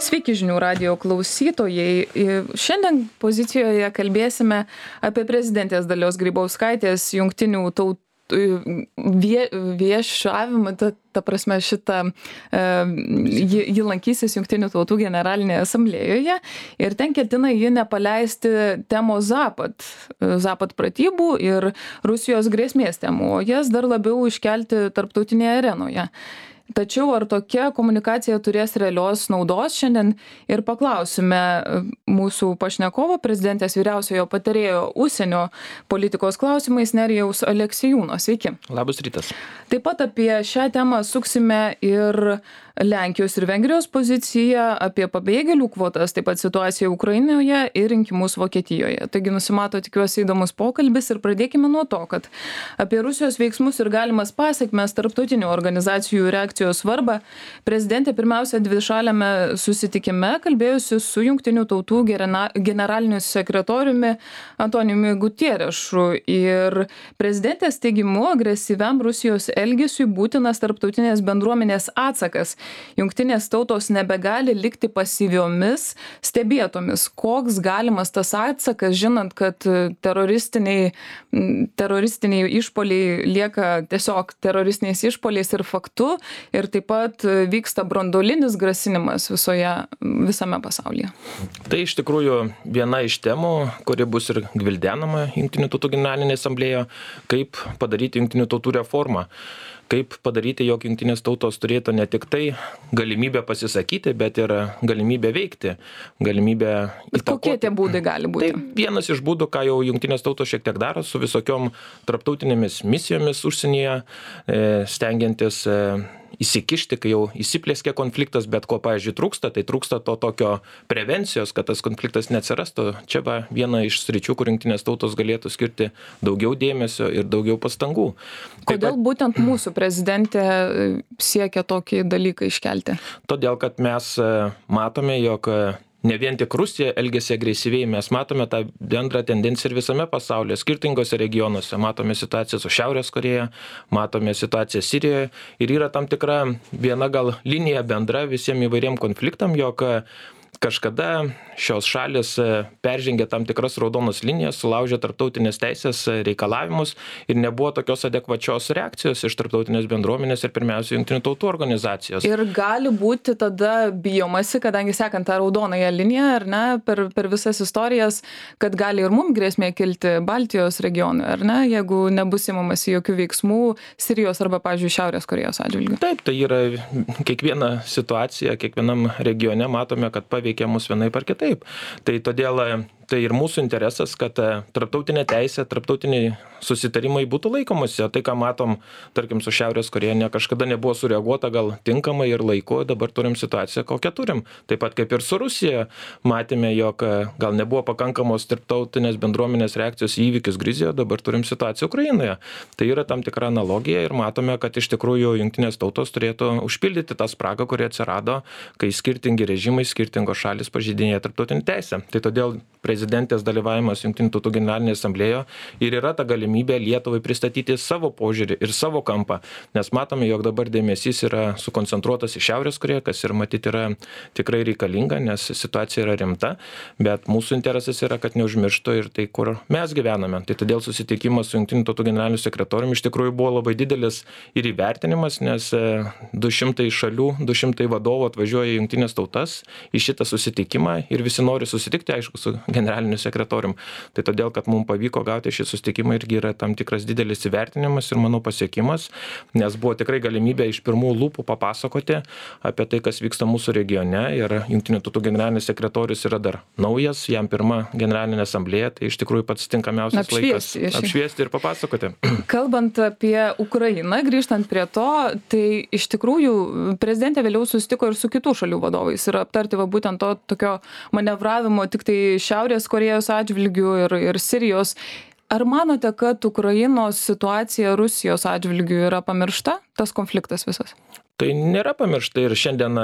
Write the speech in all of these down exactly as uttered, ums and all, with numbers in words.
Sveiki žinių radijo klausytojai. Šiandien pozicijoje kalbėsime apie prezidentės Dalios Grybauskaitės jungtinių tautų vie, viešavimą, ta, ta prasme šitą, e, ji, ji lankysis jungtinių tautų generalinėje asamblėjoje ir ten ketina ji nepaleisti temos Zapad, Zapad pratybų ir Rusijos grėsmės temų, o jas dar labiau iškelti tarptautinėje arenoje. Tačiau ar tokia komunikacija turės realios naudos, šiandien ir paklausime mūsų pašnekovo, prezidentės vyriausiojo patarėjo užsienio politikos klausimais Nerijaus Aleksiejūno. Sveiki. Labas rytas. Taip pat apie šią temą suksime ir Lenkijos ir Vengrijos poziciją, apie pabėgėlių kvotas, taip pat situaciją Ukrainoje ir rinkimus Vokietijoje. Taigi nusimato, tikiuosi, įdomus pokalbis ir pradėkime nuo to, kad apie Rusijos veiksmus ir galimas pasekmes tarptautinių organizacijų reakcijos svarbą prezidentė pirmiausia dvišaliame susitikime kalbėjusi su jungtinių tautų generaliniu sekretoriumi Antonijumi Gutierešu ir prezidentės teigimu agresyviam Rusijos elgesiui būtinas tarptautinės bendruomenės atsakas. Jungtinės tautos nebegali likti pasyviomis stebėtomis. Koks galimas tas atsakas, žinant, kad teroristiniai, teroristiniai išpoliai lieka tiesiog teroristiniais išpoliais ir faktu, ir taip pat vyksta branduolinis grasinimas visoje, visame pasaulyje. Tai iš tikrųjų viena iš temų, kuri bus ir gvildenama Jungtinių tautų generalinėje asamblėje, kaip padaryti Jungtinių tautų reformą. Kaip padaryti, jog jungtinės tautos turėtų ne tik tai galimybę pasisakyti, bet ir galimybę veikti, galimybę įtakoti. Kokie tie būdai gali būti? Tai vienas iš būdų, ką jau jungtinės tautos šiek tiek daro su visokiom tarptautinėmis misijomis užsienyje, stengiantis įsikišti, kai jau įsiplėskė konfliktas, bet ko, pavyzdžiui, trūksta, tai trūksta to tokio prevencijos, kad tas konfliktas neatsirastų. Čia va viena iš sričių, kur jungtinės tautos galėtų skirti daugiau dėmesio ir daugiau pastangų. Kodėl pat, būtent mūsų prezidentė siekia tokį dalyką iškelti? Todėl, kad mes matome, jog ne vien tik Rusija elgiasi agresyviai, mes matome tą bendrą tendenciją ir visame pasaulyje, skirtingose regionuose. Matome situaciją su Šiaurės Korėja, matome situaciją Sirijoje ir yra tam tikra viena gal linija bendra visiems įvairiem konfliktam, jog kažkada šios šalis peržengė tam tikras raudonas linijas, sulaužė tarptautinės teisės reikalavimus ir nebuvo tokios adekvačios reakcijos iš tarptautinės bendruomenės ir pirmiausia Jungtinių tautų organizacijos. Ir gali būti tada bijomasi, kadangi sekant tą raudonąją liniją, ar ne, per, per visas istorijas, kad gali ir mums grėsmė kilti Baltijos regionui, ar ne, jeigu nebus įmamasi jokių veiksmų Sirijos arba, pavyzdžiui, Šiaurės Korėjos atžvilgiu. Taip, tai yra kiekviena situacija, kiekvienam regione matome, kad paveikia mus vienaip ar kitaip. Tai todėl tai ir mūsų interesas, kad tarptautinė teisė, tarptautiniai susitarimai būtų laikomasi. Tai, ką matom, tarkim, su Šiaurės Korėja, ne kažkada nebuvo sureaguota gal tinkamai ir laiku, dabar turim situaciją, kokią turim. Taip pat kaip ir su Rusija matėme, jog gal nebuvo pakankamos tarptautinės bendruomenės reakcijos į įvykius Gruzijoje, dabar turim situaciją Ukrainoje. Tai yra tam tikra analogija ir matome, kad iš tikrųjų jungtinės tautos turėtų užpildyti tą spragą, kuri atsirado, kai skirtingi režimai, skirtingos šalis pažeidinėja tarptautinę teisę. Tai todėl prezidentės dalyvavimas Jungtinių tautų generalinėje asamblėje ir yra ta galimybė Lietuvai pristatyti savo požiūrį ir savo kampą, nes matome, jog dabar dėmesys yra sukoncentruotas į Šiaurės Korėją, kas ir matyti yra tikrai reikalinga, nes situacija yra rimta, bet mūsų interesas yra, kad neužmirštų ir tai, kur mes gyvename. Tai todėl susitikimas su Jungtinių tautų generaliniu sekretoriumi iš tikrųjų buvo labai didelis ir įvertinimas, nes du šimtai šalių, du šimtai vadovų atvažiuoja į Jungtinės tautas į šitą susitikimą ir visi nori susitikti, aišku, su generaliniu sekretorium. Tai todėl, kad mums pavyko gauti šį susitikimą, irgi yra tam tikras didelis įvertinimas ir, manau, pasiekimas, nes buvo tikrai galimybė iš pirmų lūpų papasakoti apie tai, kas vyksta mūsų regione ir Jungtinių tautų generalinis sekretorius yra dar naujas, jam pirma generalinė asamblėja, tai iš tikrųjų pats tinkamiausias apšviesti, laikas apšviesti ir papasakoti. Kalbant apie Ukrainą, grįžtant prie to, tai iš tikrųjų prezidentė vėliau susitiko ir su kitų šalių vadovais ir aptarti va būtent to tokio manevravimo tik tai Šiaurės Korėjos atžvilgių ir, ir Sirijos. Ar manote, kad Ukrainos situacija Rusijos atžvilgių yra pamiršta, tas konfliktas visas? Tai nėra pamiršta ir šiandien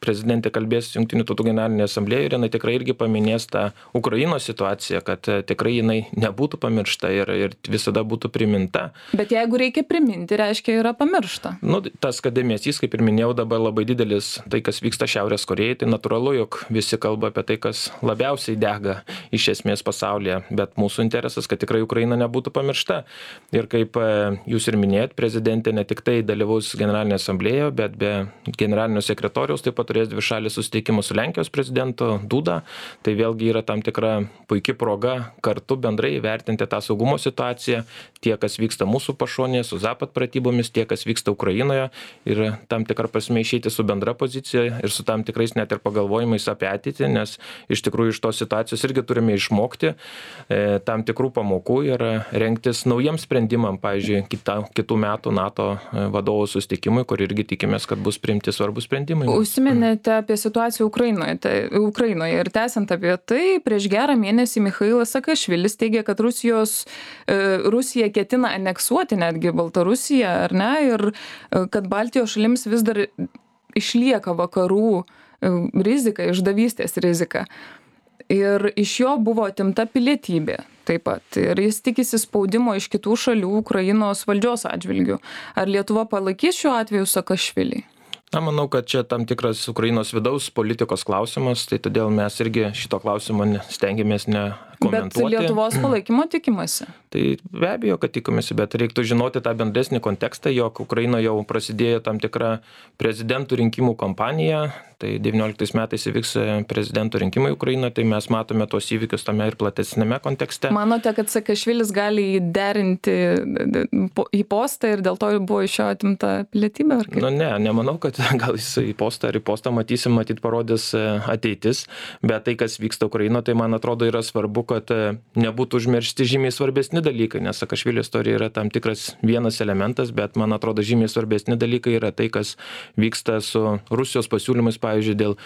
prezidentė kalbės Jungtinių tautų generalinėje asamblėje ir jinai tikrai irgi paminės tą Ukrainos situaciją, kad tikrai jinai nebūtų pamiršta ir, ir visada būtų priminta. Bet jeigu reikia priminti, reiškia yra pamiršta. Nu, tas dėmesys, kaip ir minėjau, dabar labai didelis, tai kas vyksta Šiaurės Korėjai, tai natūralu, jog visi kalba apie tai, kas labiausiai dega iš esmės pasaulyje, bet mūsų interesas, kad tikrai Ukraina nebūtų pamiršta. Ir kaip jūs ir minėjot, prezidentė ne tik tai dalyvaus generalinėje asamblėje, bet be generalinio sekretoriaus taip pat turės dvišalį susitikimą su Lenkijos prezidentu Duda. Tai vėlgi yra tam tikra puikia proga kartu bendrai įvertinti tą saugumo situaciją, tie, kas vyksta mūsų pašonėje, su Zapad pratybomis, tie, kas vyksta Ukrainoje ir tam tikrą prasme išeiti su bendra pozicija ir su tam tikrais net ir pagalvojimais apie ateitį, nes iš tikrųjų iš tos situacijos irgi turime išmokti e, tam tikrų pamokų ir rengtis naujam sprendimam, pavyzdžiui, kita, kitų metų NATO vadovų susitikimui, kur irgi tikimės, kad bus priimti svarbus sprendimai. Užsiminėte apie situaciją Ukrainoje, tai, Ukrainoje ir tęsiant apie tai, prieš gerą mėnesį Michailas Sakašvilis teigė, kad Rusijos, Rusija ketina aneksuoti netgi Baltarusiją, ar ne, ir kad Baltijos šalims vis dar išlieka vakarų rizika, išdavystės rizika. Ir iš jo buvo atimta pilietybė taip pat. Ir jis tikisi spaudimo iš kitų šalių Ukrainos valdžios atžvilgių. Ar Lietuva palaikys šiuo atveju Sakašvilį? Na, manau, kad čia tam tikras Ukrainos vidaus politikos klausimas, tai todėl mes irgi šito klausimo stengiamės nekomentuoti. Bet Lietuvos palaikymo tikimasi? Tai be abejo, kad tikimasi, bet reiktų žinoti tą bendresnį kontekstą, jog Ukrainoje jau prasidėjo tam tikra prezidentų rinkimų kampanija, tai devynioliktais metais įvyks prezidentų rinkimai Ukrainoje, tai mes matome tos įvykius tame ir platesnėme kontekste. Manote, kad Sakašvilis gali įderinti į postą ir dėl to buvo iš jo atimta pilietybė? Nu ne, nemanau, kad gal jis į postą ar į postą matysim, matyt parodys ateitis, bet tai, kas vyksta Ukrainoje, tai man atrodo yra svarbu, kad nebūtų užmiršti žymiai svarbesni dalykai, nes Sakašvilio istorija yra tam tikras vienas elementas, bet man atrodo žymiai svarbesni dalykai yra tai, kas vyksta su Rusijos pasiūlymais, pavyzdžiui, dėl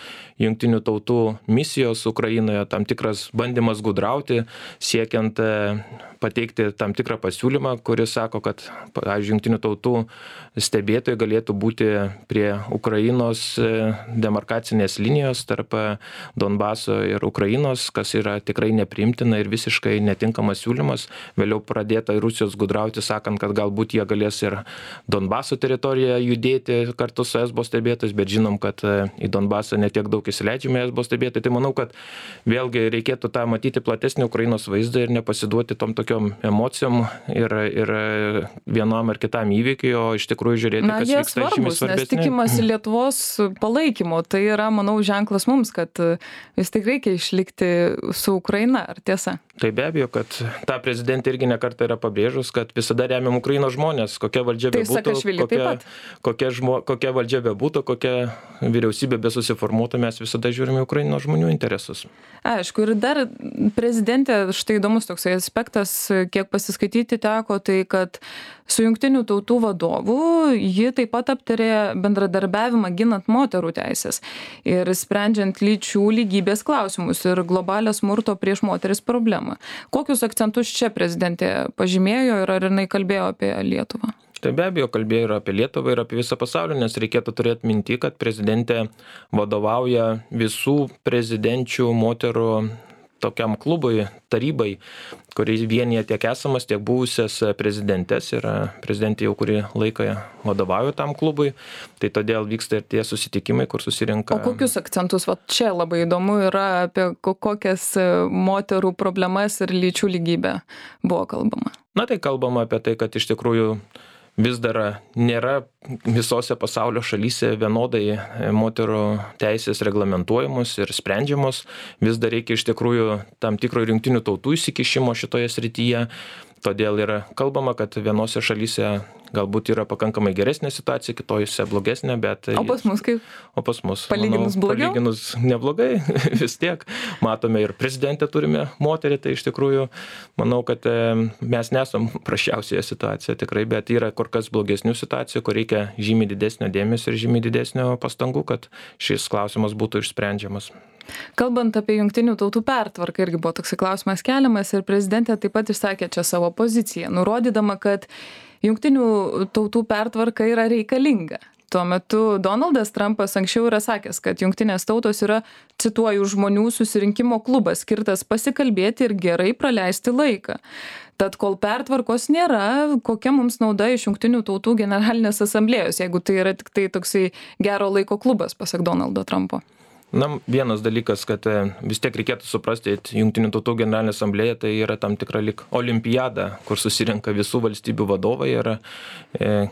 Jungtinių tautų misijos Ukrainoje, tam tikras bandymas gudrauti, siekiant pateikti tam tikrą pasiūlymą, kuris sako, kad, pavyzdžiui, Jungtinių tautų stebėtojai galėtų būti prie Ukrainos demarkacinės linijos tarp Donbaso ir Ukrainos, kas yra tikrai nepriimtina ir visiškai netinkamas siūlymas. Vėliau pradėta Rusijos gudrauti, sakant, kad galbūt jie galės ir Donbaso teritoriją judėti kartu su esbo stebėtojais, bet žinom, kad į Donbasą netiek daug įsileidžiame esbo stebėtojai. Tai manau, kad vėlgi reikėtų tą matyti platesnį Ukrainos vaizdą ir nepasiduoti tom tokiom emocijom ir, ir vienam ar kitam įvykiui, o iš tikrųjų žiūrėti, Na, kas jie vyksta svarbus, žymiai svarbesnė. Nes tikimasi Lietuvos palaikymo. Tai yra, manau, ženklas mums, kad vis tik reikia išlikti su Ukraina, ar tiesa? Tai be abejo, kad ta prezidentė irgi nekartą yra pabrėžus, kad visada remiam Ukrainos žmonės, kokia valdžia Tai bebūtų, kokia, kokia, žmo, kokia valdžia bebūtų, kokia vyriausybė besusiformuotų, mes visada žiūrime Ukrainos žmonių interesus. Aišku, ir dar prezidentė, štai įdomus toksai aspektas, kiek pasiskaityti teko, tai kad su Jungtinių tautų vadovu ji taip pat aptarė bendradarbiavimą ginant moterų teisės ir sprendžiant lyčių lygybės klausimus ir globalią smurto prieš moteris problemą. Kokius akcentus čia prezidentė pažymėjo ir ar jinai kalbėjo apie Lietuvą? Tai be abejo kalbėjo ir apie Lietuvą, ir apie visą pasaulį, nes reikėtų turėti minti, kad prezidentė vadovauja visų prezidenčių moterų tokiam klubui, tarybai, kuris vienyje tiek esamas, tiek buvusias prezidentės ir prezidentė jau kurį laiką vadovauja tam klubui, tai todėl vyksta ir tie susitikimai, kur susirinka. O kokius akcentus, va čia labai įdomu yra apie kokias moterų problemas ir lyčių lygybę buvo kalbama? Na tai kalbama apie tai, kad iš tikrųjų vis dar nėra visose pasaulio šalyse vienodai moterų teisės reglamentuojamos ir sprendžiamos. Vis dar reikia iš tikrųjų tam tikro Jungtinių tautų įsikišimo šitoje srityje. Todėl yra kalbama, kad vienose šalyse galbūt yra pakankamai geresnė situacija, kitojose blogesnė, bet... O pas mus kaip? O pas mus, palyginus manau, blogiau? Palyginus neblogai, vis tiek. Matome ir prezidentę turime moterį, tai iš tikrųjų manau, kad mes nesam prašiausioje situacijoje tikrai, bet yra kur kas blogesnių situacijų, kur reikia žymiai didesnio dėmesio ir žymiai didesnio pastangų, kad šis klausimas būtų išsprendžiamas. Kalbant apie Jungtinių tautų pertvarką, irgi buvo toksai klausimas keliamas ir prezidentė taip pat išsakė čia savo poziciją, nurodydama, kad Jungtinių tautų pertvarka yra reikalinga. Tuo metu Donaldas Trumpas anksčiau yra sakęs, kad jungtinės tautos yra, cituoju, žmonių susirinkimo klubas, skirtas pasikalbėti ir gerai praleisti laiką. Tad kol pertvarkos nėra, kokia mums nauda iš jungtinių tautų generalinės asamblėjos, jeigu tai yra tik tai toksai gero laiko klubas, pasak Donaldo Trumpo? Na, vienas dalykas, kad vis tiek reikėtų suprasti, Jungtinių tautų generalinė asamblėja tai yra tam tikra lyg olimpiada, kur susirenka visų valstybių vadovai ir e,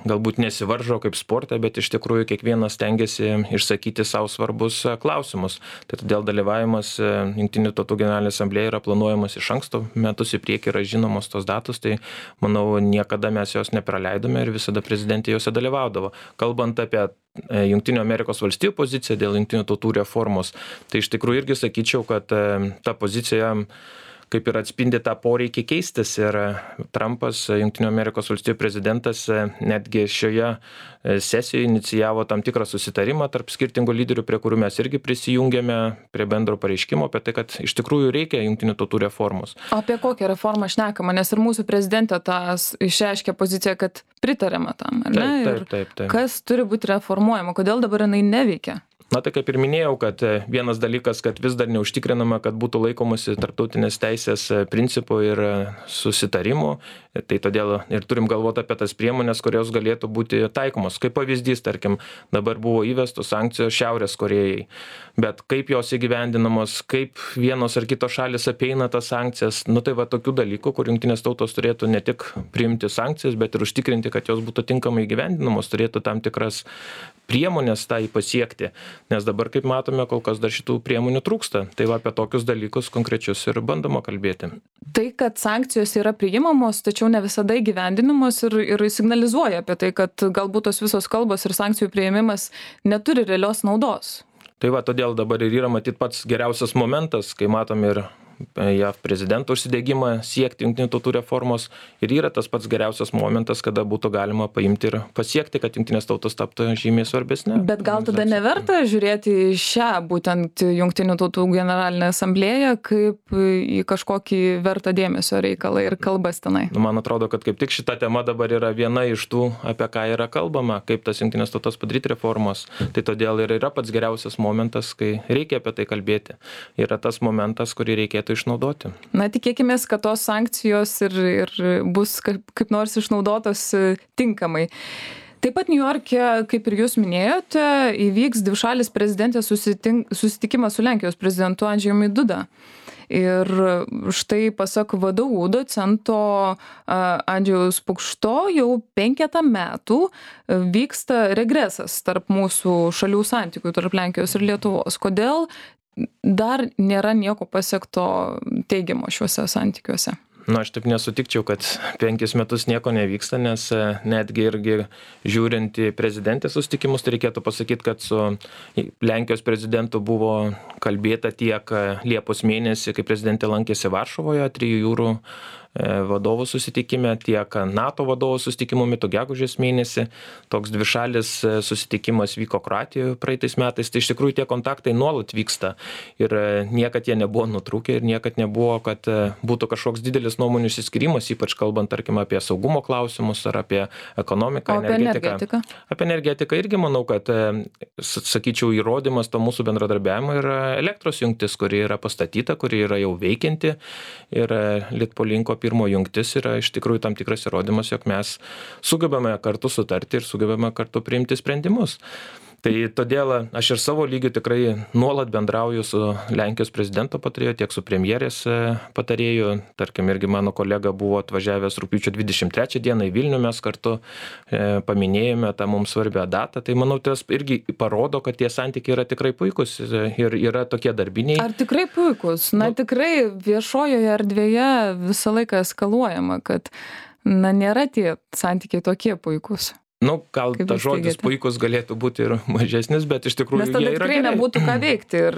galbūt nesivaržo kaip sporte, bet iš tikrųjų kiekvienas tengiasi išsakyti savo svarbus klausimus. Tai todėl dalyvavimas Jungtinių tautų generalinė asamblėja yra planuojamas iš anksto, metus į priekį yra žinomos tos datos, tai manau niekada mes jos nepraleidome ir visada prezidentė jose dalyvaudavo. Kalbant apie Jungtinių Amerikos valstijų poziciją dėl Jungtinių tautų reformos, tai iš tikrųjų irgi sakyčiau, kad ta pozicija kaip ir atspindi tą poreikį keistis ir Trumpas, Jungtinių Amerikos valstijų prezidentas, netgi šioje sesijoje inicijavo tam tikrą susitarimą tarp skirtingų lyderių, prie kurių mes irgi prisijungėme prie bendro pareiškimo apie tai, kad iš tikrųjų reikia Jungtinių tautų reformos. O apie kokią reformą šnekama, nes ir mūsų prezidentė tas išreiškė poziciją, kad pritarėme tam, ar ne? Taip, taip, taip, taip. Kas turi būti reformuojama, kodėl dabar jinai neveikia? Na tai kaip ir minėjau, kad vienas dalykas, kad vis dar neužtikrinama, kad būtų laikomasi tarptautinės teisės principų ir susitarimų, tai todėl ir turim galvoti apie tas priemonės, kurios galėtų būti taikomos. Kaip pavyzdys, tarkim, dabar buvo įvestos sankcijos Šiaurės Korėjai, bet kaip jos įgyvendinamos, kaip vienos ar kitos šalis apeina tas sankcijas, nu tai va tokių dalykų, kur jungtinės tautos turėtų ne tik priimti sankcijas, bet ir užtikrinti, kad jos būtų tinkamai įgyvendinamos, turėtų tam tikras priemonės tai pasiekti. Nes dabar, kaip matome, kol kas dar šitų priemonių trūksta. Tai va apie tokius dalykus konkrečius ir bandoma kalbėti. Tai, kad sankcijos yra priimamos, tačiau ne visada įgyvendinamos ir, ir signalizuoja apie tai, kad galbūt tos visos kalbos ir sankcijų priėmimas neturi realios naudos. Tai va, todėl dabar ir yra matyt pats geriausias momentas, kai matom ir J A V prezidento užsidegimą siekti jungtinių tautų reformos ir yra tas pats geriausias momentas, kada būtų galima paimti ir pasiekti, kad jungtinės tautos taptų žymiai svarbesnė. Bet gal tada neverta žiūrėti į šią būtent jungtinių tautų generalinę asamblėją kaip į kažkokį vertą dėmesio reikalą ir kalbas tenai? Man atrodo, kad kaip tik šita tema dabar yra viena iš tų, apie ką yra kalbama, kaip tas jungtinės tautos padaryti reformos. Tai todėl ir yra pats geriausias momentas, kai reikia apie tai kalbėti. Yra tas momentas, kurį reikėtų išnaudoti. Na, tikėkimės, kad tos sankcijos ir, ir bus kaip, kaip nors išnaudotos tinkamai. Taip pat Niujorke, kaip ir jūs minėjote, įvyks dvišalis prezidentės susitikimas su Lenkijos prezidentu Andžejumi Duda. Ir štai pasak V D U docento Andžejaus Pukšto jau penketą metų vyksta regresas tarp mūsų šalių santykių, tarp Lenkijos ir Lietuvos. Kodėl dar nėra nieko pasiekto teigiamo šiuose santykiuose? Na, aš taip nesutikčiau, kad penkis metus nieko nevyksta, nes netgi irgi žiūrint į prezidentės susitikimus, tai reikėtų pasakyti, kad su Lenkijos prezidentu buvo kalbėta tiek Liepos mėnesį, kai prezidentė lankėsi Varšuvoje, trijų jūrų vadovų susitikime, tiek NATO vadovų susitikimo metu gegužės mėnesį. Toks dvišalis susitikimas vyko Kroatijoje praeitais metais. Tai iš tikrųjų tie kontaktai nuolat vyksta ir niekad jie nebuvo nutrūkę ir niekad nebuvo, kad būtų kažkoks didelis nuomonių išsiskyrimas, ypač kalbant, tarkim, apie saugumo klausimus ar apie ekonomiką, o apie energetiką. energetiką. Apie energetiką irgi manau, kad, sakyčiau, įrodymas to mūsų bendradarbiavimo yra elektros jungtis, kuri yra pastatyta, kuri yra jau veikianti ir Litpolinko pirmo jungtis yra iš tikrųjų tam tikras įrodymas, jog mes sugebame kartu sutarti ir sugebame kartu priimti sprendimus. Tai todėl aš ir savo lygiu tikrai nuolat bendrauju su Lenkijos prezidento patarėju, tiek su premjerės patarėju. Tarkim, irgi mano kolega buvo atvažiavęs rugpjūčio dvidešimt trečią dieną į Vilnių, mes kartu e, paminėjome tą mums svarbią datą. Tai manau, tas irgi parodo, kad tie santykiai yra tikrai puikus ir yra tokie darbiniai. Ar tikrai puikus? Na, nu, tikrai viešojoje erdvėje visą laiką eskaluojama, kad na, nėra tie santykiai tokie puikus. Nu, gal tas žodis puikus galėtų būti ir mažesnis, bet iš tikrųjų jie yra gerai. Nes tada tikrai nebūtų ką veikti ir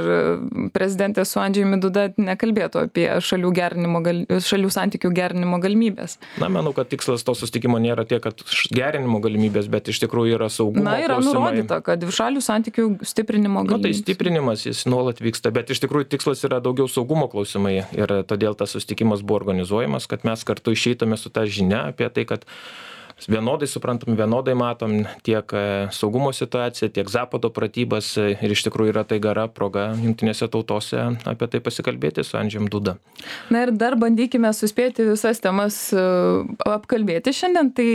prezidentė su Andžejumi Duda nekalbėtų apie šalių, gerinimo, šalių santykių gerinimo galimybės. Na, manau, kad tikslas to susitikimo nėra tiek, kad gerinimo galimybės, bet iš tikrųjų yra saugumo klausimai. Na, yra klausimai. nurodyta, kad šalių santykių stiprinimo galimybės. Na, tai stiprinimas jis nuolat vyksta, bet iš tikrųjų tikslas yra daugiau saugumo klausimai ir todėl tas susitikimas buvo organizuojamas, kad mes kartu išeitume su ta žinia apie tai, kad vienodai suprantam, vienodai matom tiek saugumo situaciją, tiek Zapado pratybas ir iš tikrųjų yra tai gera proga jungtinėse tautose apie tai pasikalbėti su Andžejum Duda. Na ir dar bandykime suspėti visas temas apkalbėti šiandien. Tai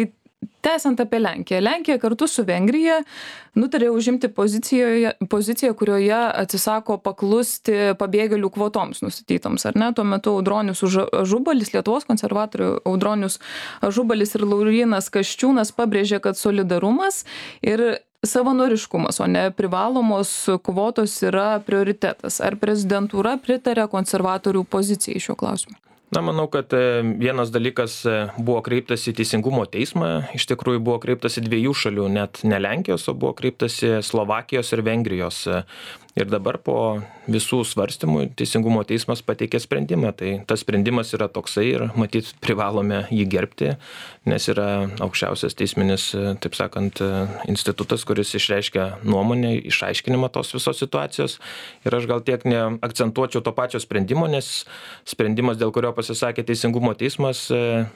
tęsiant apie Lenkiją. Lenkija kartu su Vengrija nutarė užimti poziciją, kurioje atsisako paklusti pabėgėlių kvotoms nustatytoms. Ar ne? Tuo metu Audronius Ažubalis, Lietuvos konservatorių Audronius Ažubalis ir Laurynas Kasčiūnas pabrėžė, kad solidarumas ir savanoriškumas, o ne privalomos kvotos yra prioritetas. Ar prezidentūra pritarė konservatorių pozicijai šiuo klausimu? Na, manau, kad vienas dalykas buvo kreiptas į Teisingumo teismą, iš tikrųjų buvo kreiptas į dviejų šalių, net ne Lenkijos, o buvo kreiptas į Slovakijos ir Vengrijos. Ir dabar po visų svarstymų Teisingumo teismas pateikė sprendimą. Tai tas sprendimas yra toksai ir matyt privalome jį gerbti, nes yra aukščiausias teisminis, taip sakant, institutas, kuris išreiškia nuomonę, išaiškinimą tos visos situacijos. Ir aš gal tiek neakcentuočiau to pačio sprendimo, nes sprendimas, dėl kurio pasisakė Teisingumo teismas,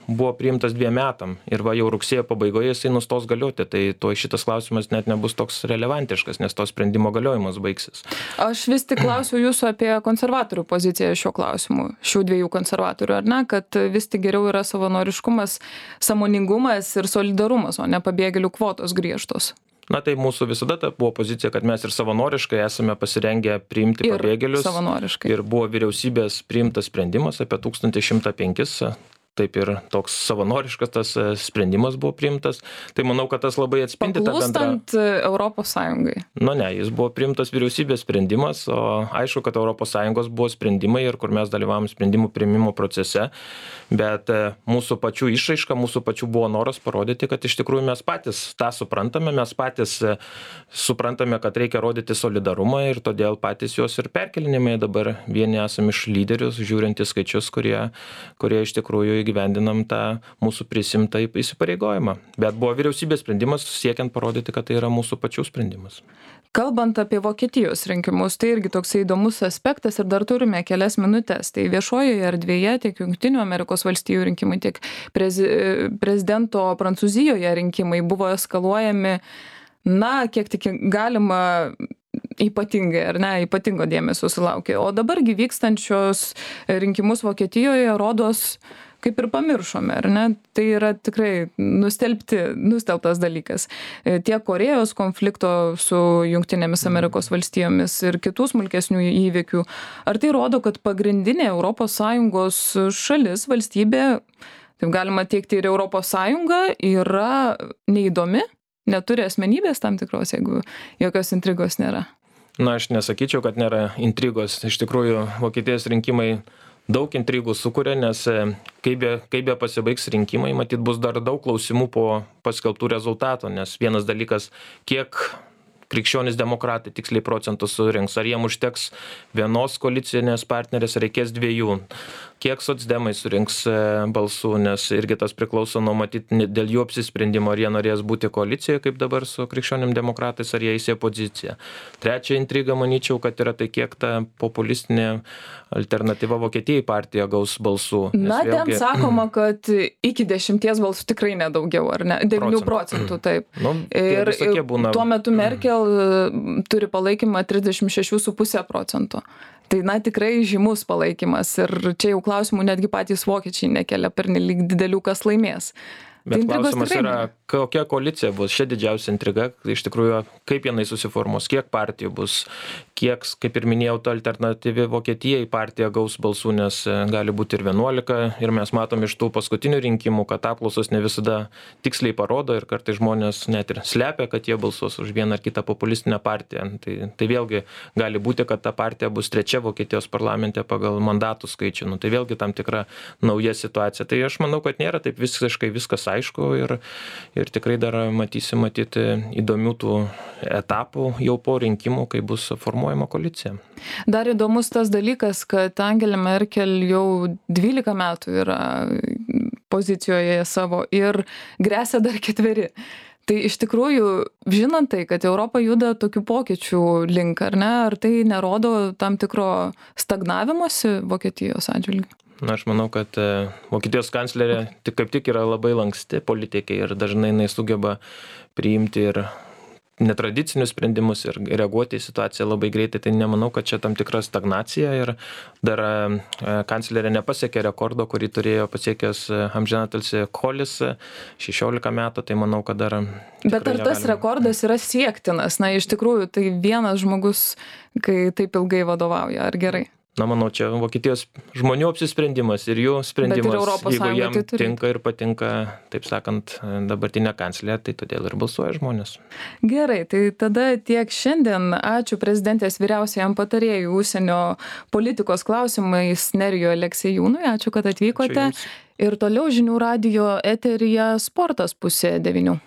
buvo priimtas dviem metam. Ir va jau rugsėjo pabaigoje jisai nustos galioti. Tai tuo šitas klausimas net nebus toks relevantiškas, nes to sprendimo galiojimas baigsis. Aš vis tik klausiu jūsų apie konservatorių poziciją šiuo klausimu, šių dviejų konservatorių, ar ne, kad vis tik geriau yra savanoriškumas, sąmoningumas ir solidarumas, o ne pabėgėlių kvotos griežtos. Na tai mūsų visada ta buvo pozicija, kad mes ir savanoriškai esame pasirengę priimti ir pabėgėlius. Savanoriškai. Ir buvo vyriausybės priimtas sprendimas apie tūkstantį šimtą penkis. Taip ir toks savanoriškas tas sprendimas buvo priimtas. Tai manau, kad tas labai atspindi tą bendrą... Paklūstant Europos Sąjungai. Nu ne, jis buvo priimtas vyriausybės sprendimas, o aišku, kad Europos Sąjungos buvo sprendimai ir kur mes dalyvavom sprendimų priimimo procese, bet mūsų pačių išraiška, mūsų pačių buvo noras parodyti, kad iš tikrųjų mes patys tą suprantame, mes patys suprantame, kad reikia rodyti solidarumą ir todėl patys juos ir perkelinėme. Dabar vieni esame iš lyderius, žiūrint į skaičius, kurie, kurie iš tikrųjų įgyvendinam tą mūsų prisimtą įsipareigojimą. Bet buvo vyriausybės sprendimas siekiant parodyti, kad tai yra mūsų pačių sprendimas. Kalbant apie Vokietijos rinkimus, tai irgi toks įdomus aspektas ir dar turime kelias minutės. Tai viešojoje erdvėje tiek Jungtinių Amerikos valstijų rinkimai, tiek prezi, prezidento Prancūzijoje rinkimai buvo eskaluojami, na, kiek tik galima ypatingai, ar ne, ypatingo dėmesio sulaukė. O dabargi vykstančios rinkimus Vokietijoje rodos kaip ir pamiršome, ar ne? Tai yra tikrai nustelbti, nustelbtas dalykas. Tiek Korėjos konflikto su Jungtinėmis Amerikos valstijomis ir kitų smulkesnių įvykių. Ar tai rodo, kad pagrindinė Europos Sąjungos šalis, valstybė, taip galima teikti ir Europos Sąjunga, yra neįdomi, neturi asmenybės tam tikros, jeigu jokios intrigos nėra? Na, aš nesakyčiau, kad nėra intrigos. Iš tikrųjų, Vokietijos rinkimai daug intrigų sukuria, nes kaip be, kaip be pasibaigs rinkimai, matyt, bus dar daug klausimų po paskelbtų rezultatų, nes vienas dalykas, kiek krikščionys demokratai tiksliai procentų surinks, ar jiem užteks vienos koalicinės partnerės, reikės dviejų, kiek socdemai surinks balsų, nes irgi tas priklauso nuo matyti dėl jų apsisprendimo, ar jie norės būti koalicijoje, kaip dabar su krikščionim demokratais, ar jie įsė poziciją. Trečia intriga, manyčiau, kad yra tai, kiek ta populistinė alternatyva Vokietijai partija gaus balsų. Na, vėlgi... ten sakoma, kad iki dešimties balsų tikrai nedaugiau, ar ne? devynių procentų, taip. Nu, ir būna... tuo metu Merkel turi palaikymą trisdešimt šeši su puse procento. Tai, na, tikrai žymus palaikymas ir čia jau klausimų netgi patys vokiečiai nekelia pernelyg didelių, kas laimės. Bet klausimas yra, kokia koalicija bus, šia didžiausia intriga, iš tikrųjų, kaip jinai susiformuos, kiek partijų bus, kiek, kaip ir minėjau, ta alternatyvi Vokietijai partija gaus balsų, nes gali būti ir vienuolika, ir mes matom iš tų paskutinių rinkimų, kad apklausos ne visada tiksliai parodo ir kartais žmonės net ir slepia, kad jie balsuos už vieną ar kitą populistinę partiją. Tai, tai vėlgi gali būti, kad ta partija bus trečia Vokietijos parlamente pagal mandatų skaičių. Nu, tai vėlgi tam tikra nauja situacija. Tai aš manau, kad nėra taip visiškai viskas aišku ir, ir tikrai dar matysi matyti įdomių tų etapų jau po rinkimų, kai bus formuojama koalicija. Dar įdomus tas dalykas, kad Angela Merkel jau dvylika metų yra pozicijoje savo ir gresia dar ketveri. Tai iš tikrųjų, žinant tai, kad Europa juda tokių pokyčių link, ar ne, ar tai nerodo tam tikro stagnavimosi Vokietijos atžvilgiu? Na, aš manau, kad e, Vokietijos kanclerė tik kaip tik yra labai lanksti politikė ir dažnai jinai sugeba priimti ir netradicinius sprendimus ir reaguoti į situaciją labai greitai. Tai nemanau, kad čia tam tikra stagnacija ir dar e, kanclerė nepasiekė rekordo, kurį turėjo pasiekęs e, amžinatilsį Kolis e, šešiolika metų, tai manau, kad dar... Bet ar tas negalime. rekordas yra siektinas? Na, iš tikrųjų, tai vienas žmogus, kai taip ilgai vadovauja, ar gerai? Na, manau, čia Vokietijos žmonių apsisprendimas ir jų sprendimas, Europos jeigu Sąjunga jiem tai turi. tinka ir patinka, taip sakant, dabartinė kanclerė, tai todėl ir balsuoja žmonės. Gerai, tai tada tiek šiandien. Ačiū prezidentės vyriausiajam patarėjui užsienio politikos klausimais Nerijui Aleksiejūnui. Ačiū, kad atvykote. Ačiū jums. Ir toliau žinių radijo eteryje sportas pusė devynių.